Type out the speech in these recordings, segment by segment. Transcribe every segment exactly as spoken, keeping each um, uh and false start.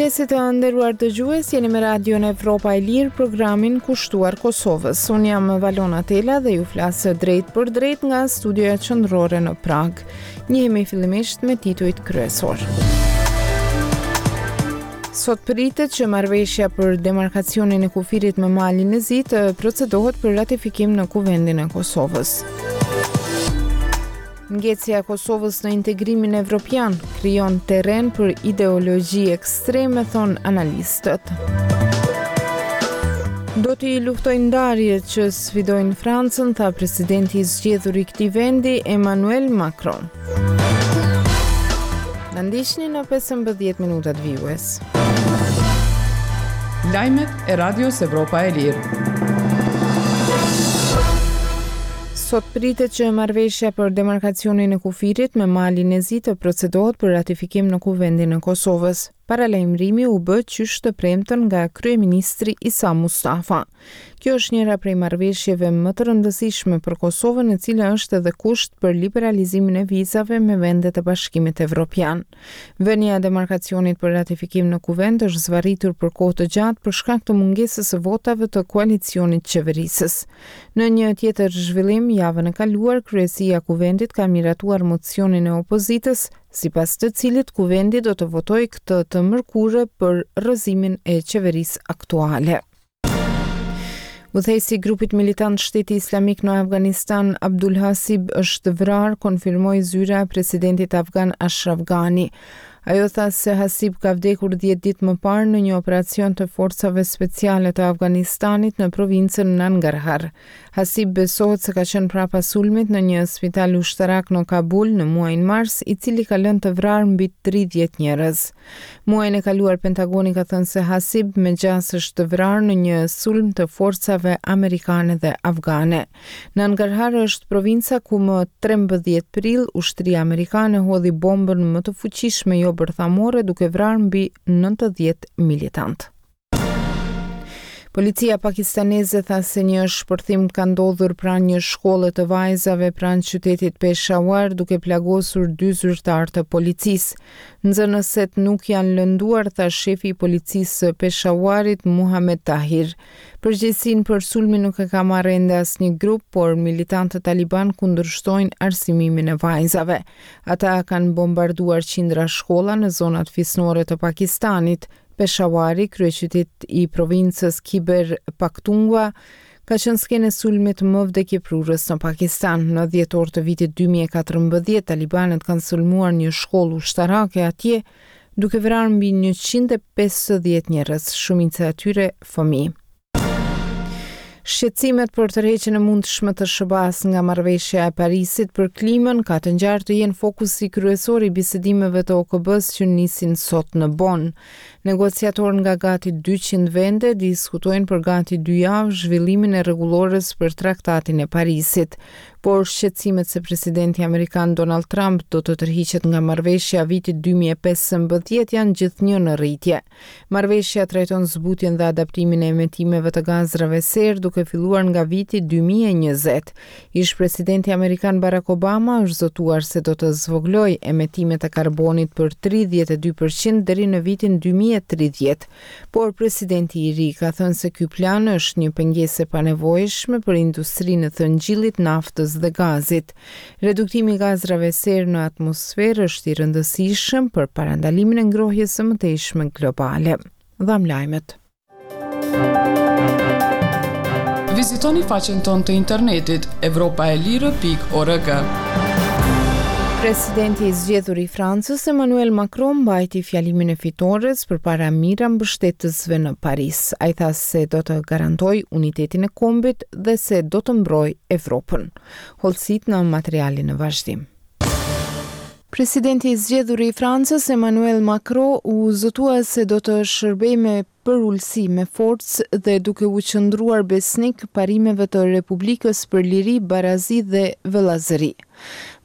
Mirëmëngjesi, të nderuar dëgjues, jeni me Radion Evropa e Lirë, programin kushtuar Kosovës. Unë jam Valona Tela dhe ju flas drejtpërdrejt nga studioja qendrore në Pragë. Njihemi fillimisht me titujt kryesor. Sot pritet që marrëveshja për demarkacionin e kufirit me Malin e Zi të procedohet për ratifikim në Kuvendin e Kosovës. Ngecja e Kosovës në integrimin evropian krijon terren për ideologji ekstreme, thonë analistët. Do t'i luftoj ndarjet që sfidojnë Francën, tha presidenti i zgjedhur i këtij vendi, Emmanuel Macron. Na ndiqni në pesëmbëdhjetë minutat vijues. Lajmet e Radios Evropa e Lirë. Sot pritet që marrëveshja për demarkacionin e kufirit me Malin e Zi të procedohet për ratifikim në Kuvendin e Kosovës. Paralajmërimi u bë qysh të premten nga kryeministri Isa Mustafa. Kjo është njëra prej marrëveshjeve më të rëndësishme për Kosovën, e cila është edhe kusht për liberalizimin e vizave me vendet e Bashkimit Evropian. Vënia e demarkacionit për ratifikim në Kuvend është zvarritur për kohë të gjatë për shkak të mungesës së votave të koalicionit qeverisës. Në një tjetër zhvillim, javën e kaluar, kryesia e Kuvendit ka miratuar mocionin e opozitës, sipas të cilit Kuvendi do të votojë këtë të mërkurë për rrëzimin e qeverisë aktuale. Udhëheqësi i grupit militant Shteti Islamik në Afganistan, Abdul Hasib, është vrarë, konfirmoi zyra e presidentit afgan Ashraf Ghani. Ajo tha se Hasib ka vdekur dhjetë ditë më parë në një operacion të forcave speciale të Afganistanit në provincën Nangarhar. Hasib besohet se ka qenë prapa sulmit në një spital ushtarak në Kabul në muajin mars, i cili ka lënë të vrarë mbi tridhjetë njerëz. Muajin e kaluar Pentagoni ka thënë se Hasib me gjasë është vrarë në një sulm të forcave amerikane dhe afgane. Nangarhar është provinca ku më trembëdhjetë prill ushtria amerikane hodhi bombën më të fuqishme jo bërthamore, duke vrarë mbi nëntëdhjetë militant. Policia pakistaneze tha se një shpërthim ka ndodhur pranë një shkolle të vajzave pranë qytetit Peshawar, duke plagosur dy zyrtarë të policisë. Nxënëset nuk janë lënduar, tha shefi i policisë së Peshawarit, Muhammad Tahir. Përgjegjësinë për sulmin nuk e ka marrë ende asnjë grup, por militantët taliban kundërshtojnë arsimimin e vajzave. Ata kanë bombarduar qindra shkolla në zonat fisnore të Pakistanit. Peshawari, kryeqytet i provincës Khyber Pakhtunkhwa, ka qenë skenë e sulmit më vdekjeprurës në Pakistan. Në dhjetor të vitit dy mijë e katërmbëdhjetë, talibanët kanë sulmuar një shkollë ushtarake atje, duke vrarë mbi njëqind e pesëdhjetë njerëz, shumica e atyre fëmijë. Shqetësimet për tërheqjen e mundshme të S H B A-s nga marrëveshja e Parisit për klimën ka të ngjarë të jenë fokusi kryesor i bisedimeve të O K B-s që nisin sot në Bonn. Negociatorë nga gati dyqind vende diskutojnë për gati dy javë zhvillimin e rregullores për traktatin e Parisit, por shqetësimet se presidenti amerikan Donald Trump do të tërhiqet nga marrëveshja e vitit dy mijë e pesëmbëdhjetë janë gjithnjë në rritje. Marrëveshja trajton zbutjen dhe adaptimin e emetimeve të gazrave serë duke filluar nga viti dy mijë e njëzet. Ish presidenti amerikan Barack Obama është zotuar se do të zvogëlojë emetimet e karbonit për tridhjetë e dy përqind deri në vitin dy mijë e tridhjetë. Por presidenti i ri ka thënë se ky plan është një pengesë e panevojshme për industrinë e thëngjillit, naftës dhe gazit. Reduktimi i gazrave serë në atmosferë është i rëndësishëm për parandalimin e ngrohjes së mëtejshme globale. Dham lajmet. Vizitoni faqen tonë të internetit evropa e lirë pikë org. Presidenti i zgjedhur i Francës, Emmanuel Macron, mbajti fjalimin e fitores përpara mijëra mbështetësve në Paris. Ai tha se do të garantojë unitetin e kombit dhe se do të mbrojë Evropën. Hollësit në materialin në vazhdim. Presidenti i zgjedhur i Francës, Emmanuel Macron, u zotua se do të shërbejë me përulësi, me forcë dhe duke u qëndruar besnik parimeve të Republikës për liri, barazi dhe vëllazëri.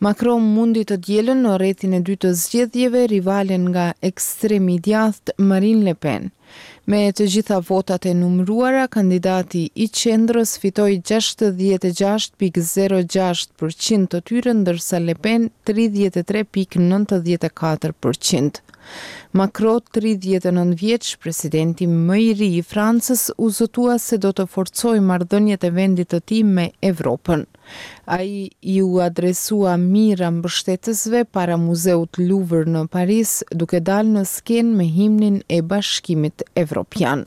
Macron mundi të dielën në rrethin e dytë të zgjedhjeve rivalen nga ekstremi i djathtë Marine Le Pen. Me të gjitha votat e numëruara, kandidati i qendrës fitoi gjashtëdhjetë e gjashtë pikë zero gjashtë për qind të tyre, ndërsa Le Pen tridhjetë e tre pikë nëntëdhjetë e katër për qind. Macron, tridhjetë e nëntë vjeç, presidenti më i ri i Francës, u zotua se do të forcojë marrëdhëniet e vendit të tij me Evropën. Ai iu adresua mijëra mbështetësve para Muzeut Louvre në Paris, duke dalë në skenë me himnin e Bashkimit Evropian.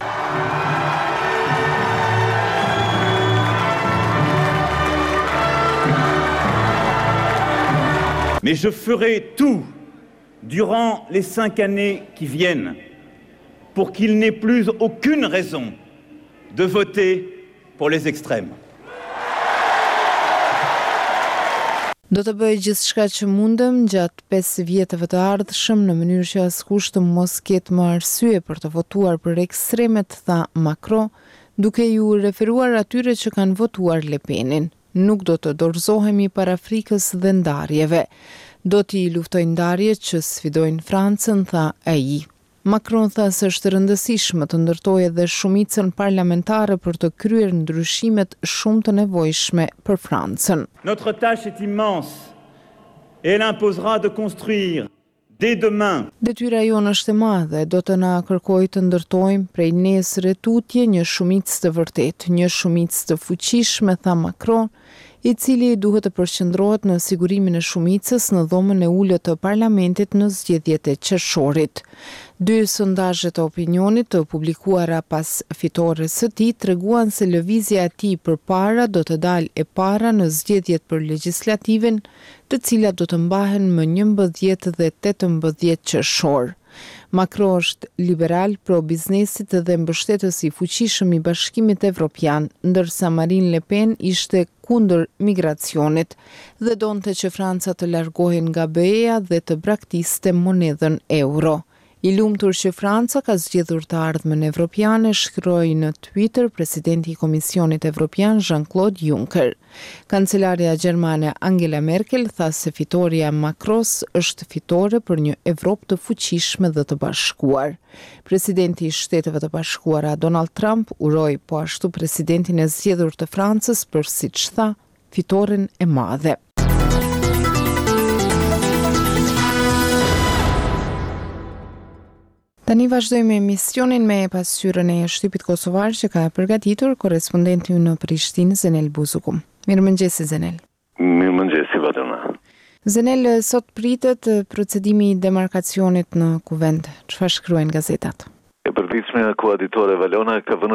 Mais je ferai tout durant les cinq années qui viennent pour qu'il n'ait plus aucune raison de voter pour les extrêmes. Do të bëj gjithçka që mundem gjatë pesë vjetëve të ardhshëm në mënyrë që askush të mos ketë më arsye për të votuar për ekstremet, tha Macron, duke iu referuar atyre që kanë votuar Le Penin. Nuk do të dorëzohemi para frikës dhe ndarjeve. Do t'i luftoj ndarjet që sfidojnë Francën, tha ai. Macron tha se është e rëndësishme të ndërtojë edhe shumicën parlamentare për të kryer ndryshimet shumë të nevojshme për Francën. Notre tâche est immense et elle imposera de construire dès demain. Detyra jonë është e madhe, do të na kërkojë të ndërtojmë prej nesër e tutje një shumicë të vërtetë, një shumicë të fuqishme, tha Macron, i cili duhet të përqendrohet në sigurimin e shumicës në dhomën e ulët të parlamentit në zgjedhjet e qershorit. Dy sondazhe të opinionit të publikuara pas fitores së tij treguan se lëvizja e tij përpara do të dalë e para në zgjedhjet për legjislativin, të cilat do të mbahen më njëmbëdhjetë dhe tetëmbëdhjetë qershor. Macron është liberal pro biznesit dhe mbështetës i fuqishëm i Bashkimit Evropian, ndërsa Marine Le Pen ishte kundër migracionit dhe donte që Franca të largohej nga B E-ja dhe të braktiste monedhën euro. I lumtur që Franca ka zgjedhur të ardhmen evropiane, shkroi në Twitter presidenti i Komisionit Evropian Jean-Claude Juncker. Kancelarja gjermane Angela Merkel tha se fitoria e Macrons është fitore për një Evropë të fuqishme dhe të bashkuar. Presidenti i Shteteve të Bashkuara Donald Trump uroi po ashtu presidentin e zgjedhur të Francës për, siç tha, fitoren e madhe. Tani vazhdojmë emisionin me pasqyrën e shtypit kosovar që ka përgatitur korrespondenti ynë në Prishtinë, Zenel Buzuku. Mirëmëngjesi, Zenel. Mirëmëngjesi, Valona. Zenel, sot pritet procedimi i demarkacionit në Kuvend. Çfarë shkruajnë gazetat? E përditshmja Koha Ditore Valona ka vënë